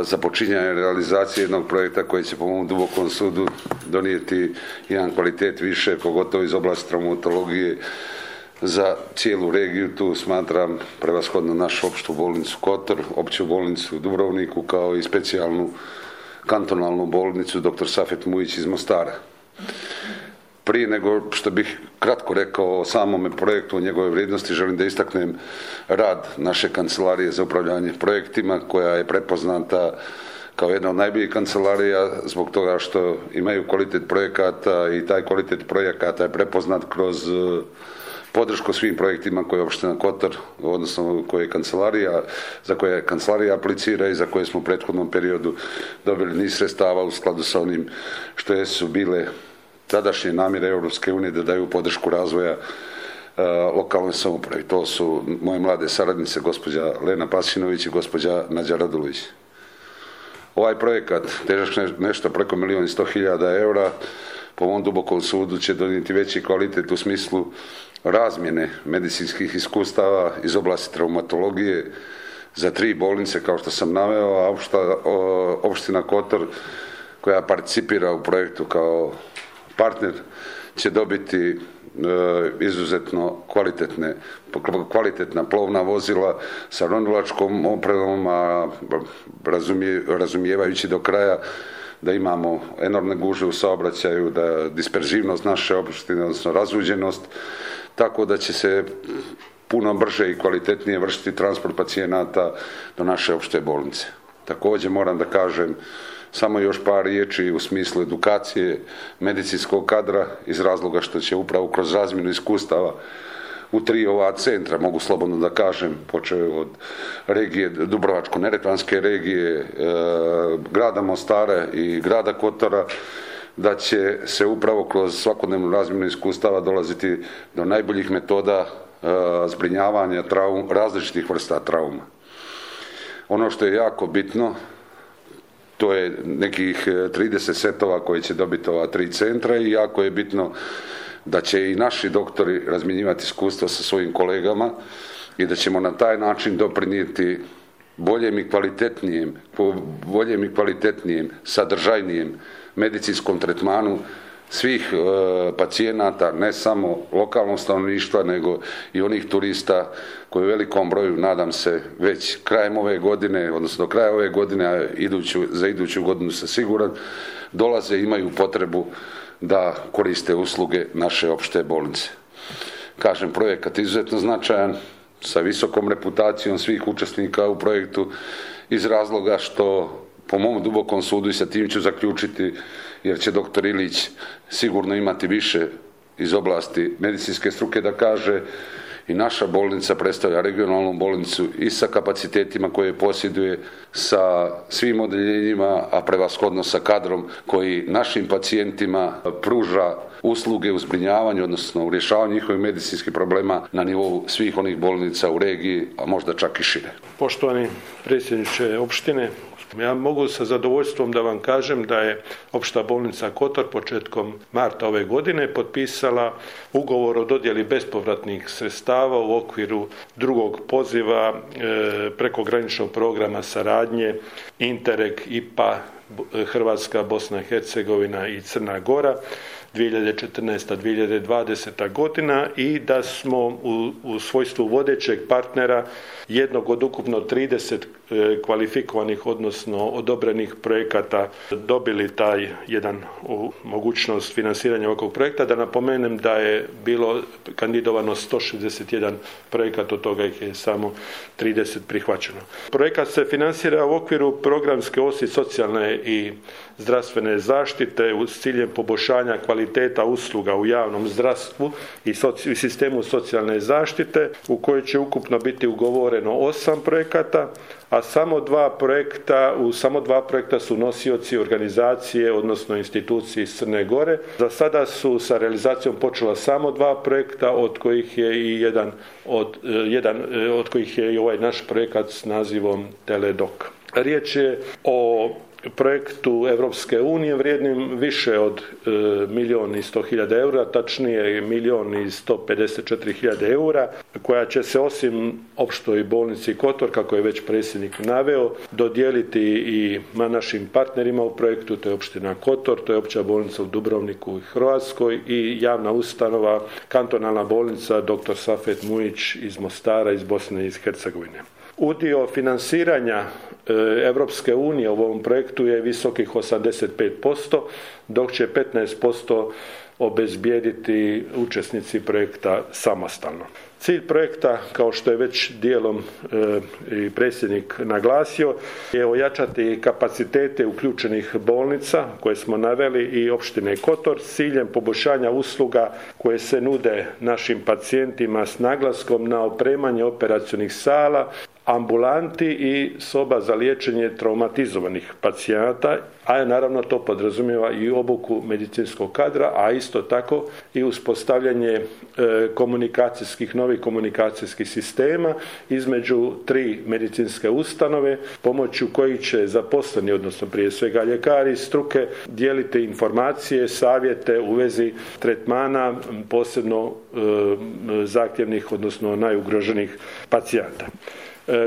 započinjanje realizacije jednog projekta koji će po mom dubokom sudu donijeti jedan kvalitet više, pogotovo iz oblasti traumatologije za cijelu regiju. Tu smatram prevashodno našu opštu bolnicu Kotor, opću bolnicu u Dubrovniku, kao i specijalnu kantonalnu bolnicu dr. Safet Mujić iz Mostara. Prije nego što bih kratko rekao o samome projektu, o njegove vrijednosti, želim da istaknem rad naše kancelarije za upravljanje projektima, koja je prepoznata kao jedna od najboljih kancelarija zbog toga što imaju kvalitet projekata i taj kvalitet projekata je prepoznat kroz podršku svim projektima koje je opština Kotor, odnosno za koje kancelarija aplicira i za koje smo u prethodnom periodu dobili niz sredstava u skladu sa onim što su bile tadašnje namjere Europske unije da daju podršku razvoja lokalnoj samoupravi. To su moje mlade saradnice, gospođa Lena Pasinović i gospođa Nađa Radulović. Ovaj projekat, težak nešto preko 1.100.000 eura, po mom dubokom sudu će donijeti veći kvalitet u smislu razmjene medicinskih iskustava iz oblasti traumatologije za 3 bolnice, kao što sam naveo, a opština Kotor, koja participira u projektu kao partner, će dobiti izuzetno kvalitetna plovna vozila sa ronilačkom opremom, a razumijevajući do kraja da imamo enormne gužve u saobraćaju, da disperzivnost naše opštine, odnosno razuđenost, tako da će se puno brže i kvalitetnije vršiti transport pacijenata do naše opšte bolnice. Također moram da kažem samo još par riječi u smislu edukacije medicinskog kadra, iz razloga što će upravo kroz razmjenu iskustava u 3 ova centra, mogu slobodno da kažem, počeo od regije Dubrovačko-neretvanske regije, grada Mostara i grada Kotora, da će se upravo kroz svakodnevnu razmjenu iskustava dolaziti do najboljih metoda zbrinjavanja različitih vrsta trauma. Ono što je jako bitno, to je nekih 30 setova koje će dobiti ova 3 centra i jako je bitno da će i naši doktori razmjenjivati iskustva sa svojim kolegama i da ćemo na taj način doprinijeti boljem i kvalitetnijem, sadržajnijem medicinskom tretmanu svih pacijenata, ne samo lokalnog stanovništva, nego i onih turista koji u velikom broju, nadam se, već krajem ove godine, odnosno do kraja ove godine, a za iduću godinu sam siguran, dolaze i imaju potrebu da koriste usluge naše opšte bolnice. Kažem, projekat je izuzetno značajan, sa visokom reputacijom svih učesnika u projektu, iz razloga što, po mom dubokom sudu, i sa tim ću zaključiti, jer će doktor Ilić sigurno imati više iz oblasti medicinske struke da kaže, i naša bolnica predstavlja regionalnu bolnicu i sa kapacitetima koje posjeduje, sa svim odeljenjima, a prevashodno sa kadrom koji našim pacijentima pruža usluge u zbrinjavanju, odnosno u rješavanju njihovih medicinskih problema na nivou svih onih bolnica u regiji, a možda čak i šire. Poštovani predsjedniče opštine, ja mogu sa zadovoljstvom da vam kažem da je opšta bolnica Kotor početkom marta ove godine potpisala ugovor o dodjeli bespovratnih sredstava u okviru drugog poziva prekograničnog programa saradnje Interreg IPA Hrvatska, Bosna i Hercegovina i Crna Gora 2014-2020. godina i da smo u svojstvu vodećeg partnera jednog od ukupno 30 kvalifikovanih, odnosno odobrenih projekata dobili taj jedan mogućnost financiranja ovog projekta. Da napomenem da je bilo kandidovano 161 projekat, od toga ih je samo 30 prihvaćeno. Projekat se financira u okviru programske osi socijalne i zdravstvene zaštite s ciljem poboljšanja kvaliteta usluga u javnom zdravstvu i sistemu socijalne zaštite, u kojoj će ukupno biti ugovoreno 8 projekata, a u samo dva projekta su nosioci organizacije, odnosno institucije iz Crne Gore. Za sada su sa realizacijom počela samo 2 projekta, od kojih je i ovaj naš projekat s nazivom Teledoc. Riječ je o projektu Europske unije vrijednim više od 1.100.000 eura, tačnije 1.154.000 eura, koja će se osim opštoj bolnici Kotor, kako je već predsjednik naveo, dodijeliti i našim partnerima u projektu, to je opština Kotor, to je opća bolnica u Dubrovniku i Hrvatskoj i javna ustanova, kantonalna bolnica dr. Safet Mujić iz Mostara, iz Bosne i iz Hercegovine. Udio financiranja Europske unije u ovom projektu je visokih 85%, dok će 15% obezbijediti učesnici projekta samostalno. Cilj projekta, kao što je već dijelom i predsjednik naglasio, je ojačati kapacitete uključenih bolnica koje smo naveli i opštine Kotor s ciljem poboljšanja usluga koje se nude našim pacijentima s naglaskom na opremanje operacionih sala, ambulanti i soba za liječenje traumatizovanih pacijenata, a naravno to podrazumijeva i obuku medicinskog kadra, a isto tako i uspostavljanje novih komunikacijskih sistema između 3 medicinske ustanove, pomoću kojih će zaposleni, odnosno prije svega ljekari struke, dijeliti informacije, savjete u vezi tretmana posebno zahtjevnih, odnosno najugroženijih pacijenata.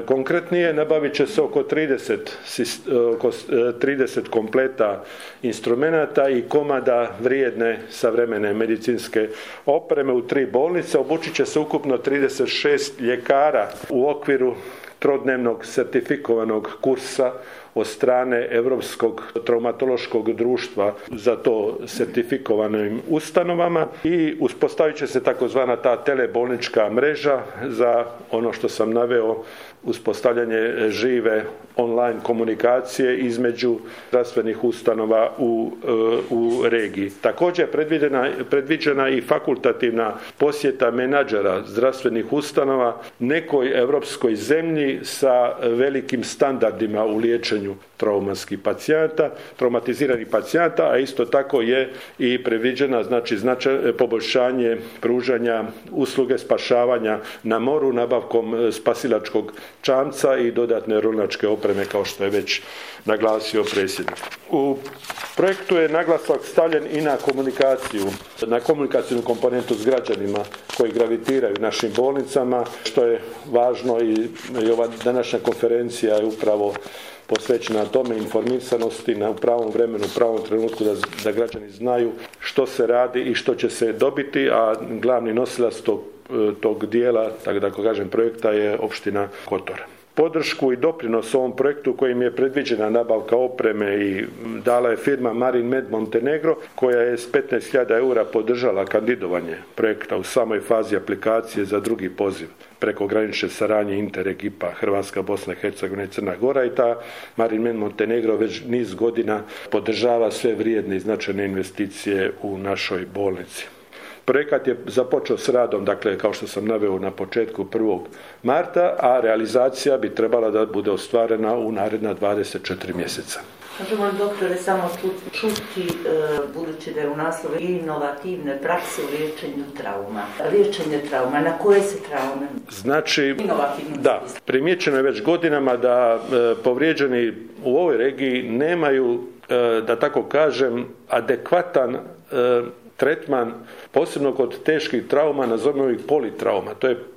Konkretnije, nabavit će se oko 30 kompleta instrumenata i komada vrijedne savremene medicinske opreme u 3 bolnice. Obučit će se ukupno 36 ljekara u okviru trodnevnog sertifikovanog kursa od strane Europskog traumatološkog društva za to sertifikovanim ustanovama i uspostavit će se takozvana ta telebolnička mreža za ono što sam naveo, uspostavljanje žive online komunikacije između zdravstvenih ustanova u regiji. Također predviđena i fakultativna posjeta menadžera zdravstvenih ustanova nekoj europskoj zemlji sa velikim standardima u liječenju traumatiziranih pacijenata, a isto tako je i predviđena poboljšanje pružanja usluge spašavanja na moru nabavkom spasilačkog čamca i dodatne runačke opreme, kao što je već naglasio predsjednik. U projektu je naglasak stavljen i na komunikacijnu komponentu s građanima koji gravitiraju našim bolnicama, što je važno i ova današnja konferencija je upravo posvećena tome, informiranosti u pravom vremenu, u pravom trenutku da građani znaju što se radi i što će se dobiti, a glavni nosilac tog dijela, tako da kažem, projekta je opština Kotor. Podršku i doprinos ovom projektu kojim je predviđena nabavka opreme i dala je firma Marin-Med Montenegro, koja je s 15.000 eura podržala kandidovanje projekta u samoj fazi aplikacije za drugi poziv prekogranične saradnje Interreg IPA Hrvatska, Bosna i Hercegovina i Crna Gora, i ta Marin-Med Montenegro već niz godina podržava sve vrijedne i značajne investicije u našoj bolnici. Projekat je započeo s radom, dakle, kao što sam naveo na početku 1. marta, a realizacija bi trebala da bude ostvarena u naredna 24 mjeseca. Možemo li, doktore, samo čuti, budući da je u naslovu inovativne prakse u liječenju trauma. Liječenje trauma, na koje se traume? Znači, da, primijećeno je već godinama da povrijeđeni u ovoj regiji nemaju, da tako kažem, adekvatan tretman, posebno kod teških trauma, nazovimo ih politrauma.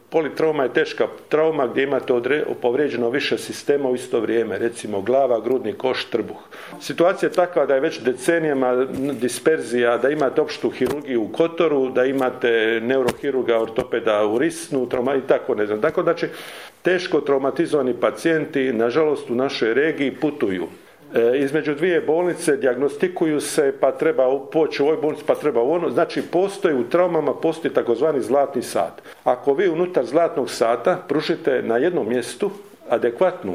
Politrauma je teška trauma gdje imate povrijeđeno više sistema u isto vrijeme, recimo glava, grudni koš, trbuh. Situacija je takva da je već decenijama disperzija, da imate opštu hirurgiju u Kotoru, da imate neurohirurga, ortopeda u Risnu, i tako ne znam. Tako znači, teško traumatizovani pacijenti, nažalost, u našoj regiji putuju između 2 bolnice, dijagnostikuju se, pa treba poći u ovoj bolnici, pa treba u ono. Znači, postoji u traumama, postoji takozvani zlatni sat. Ako vi unutar zlatnog sata pružite na jednom mjestu adekvatnu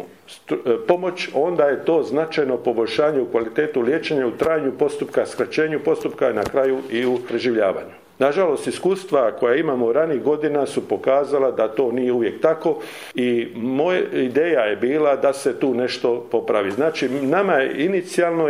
pomoć, onda je to značajno poboljšanje u kvalitetu liječenja, u trajanju postupka, skraćenju postupka i na kraju i u preživljavanju. Nažalost, iskustva koja imamo ranih godina su pokazala da to nije uvijek tako i moja ideja je bila da se tu nešto popravi. Znači, nama je inicijalno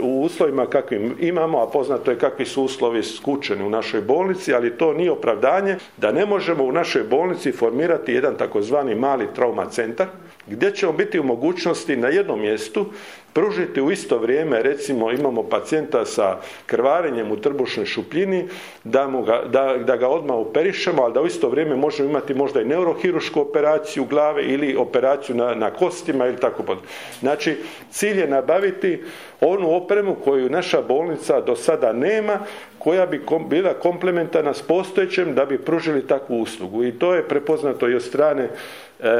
u uslovima kakvim imamo, a poznato je kakvi su uslovi skučeni u našoj bolnici, ali to nije opravdanje da ne možemo u našoj bolnici formirati jedan takozvani mali trauma centar gdje ćemo biti u mogućnosti na jednom mjestu pružiti u isto vrijeme, recimo imamo pacijenta sa krvarenjem u trbušnoj šupljini, da ga odmah operišemo, ali da u isto vrijeme možemo imati možda i neurohirušku operaciju glave ili operaciju na kostima ili tako pod. Znači, cilj je nabaviti onu opremu koju naša bolnica do sada nema, koja bi bila komplementarna s postojećem da bi pružili takvu uslugu. I to je prepoznato i od strane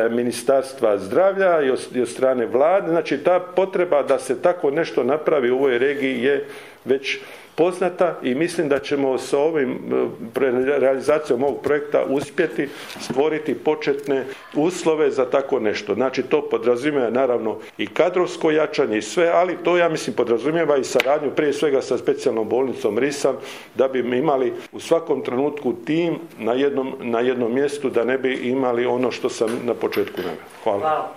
Ministarstva zdravlja i od strane vlade. Znači, ta potreba da se tako nešto napravi u ovoj regiji je već poznata i mislim da ćemo sa ovim realizacijom ovog projekta uspjeti stvoriti početne uslove za tako nešto. Znači, to podrazumijeva naravno i kadrovsko jačanje i sve, ali to ja mislim podrazumijeva i saradnju prije svega sa specijalnom bolnicom Risan, da bi imali u svakom trenutku tim na jednom mjestu, da ne bi imali ono što sam na početku naveo. Hvala.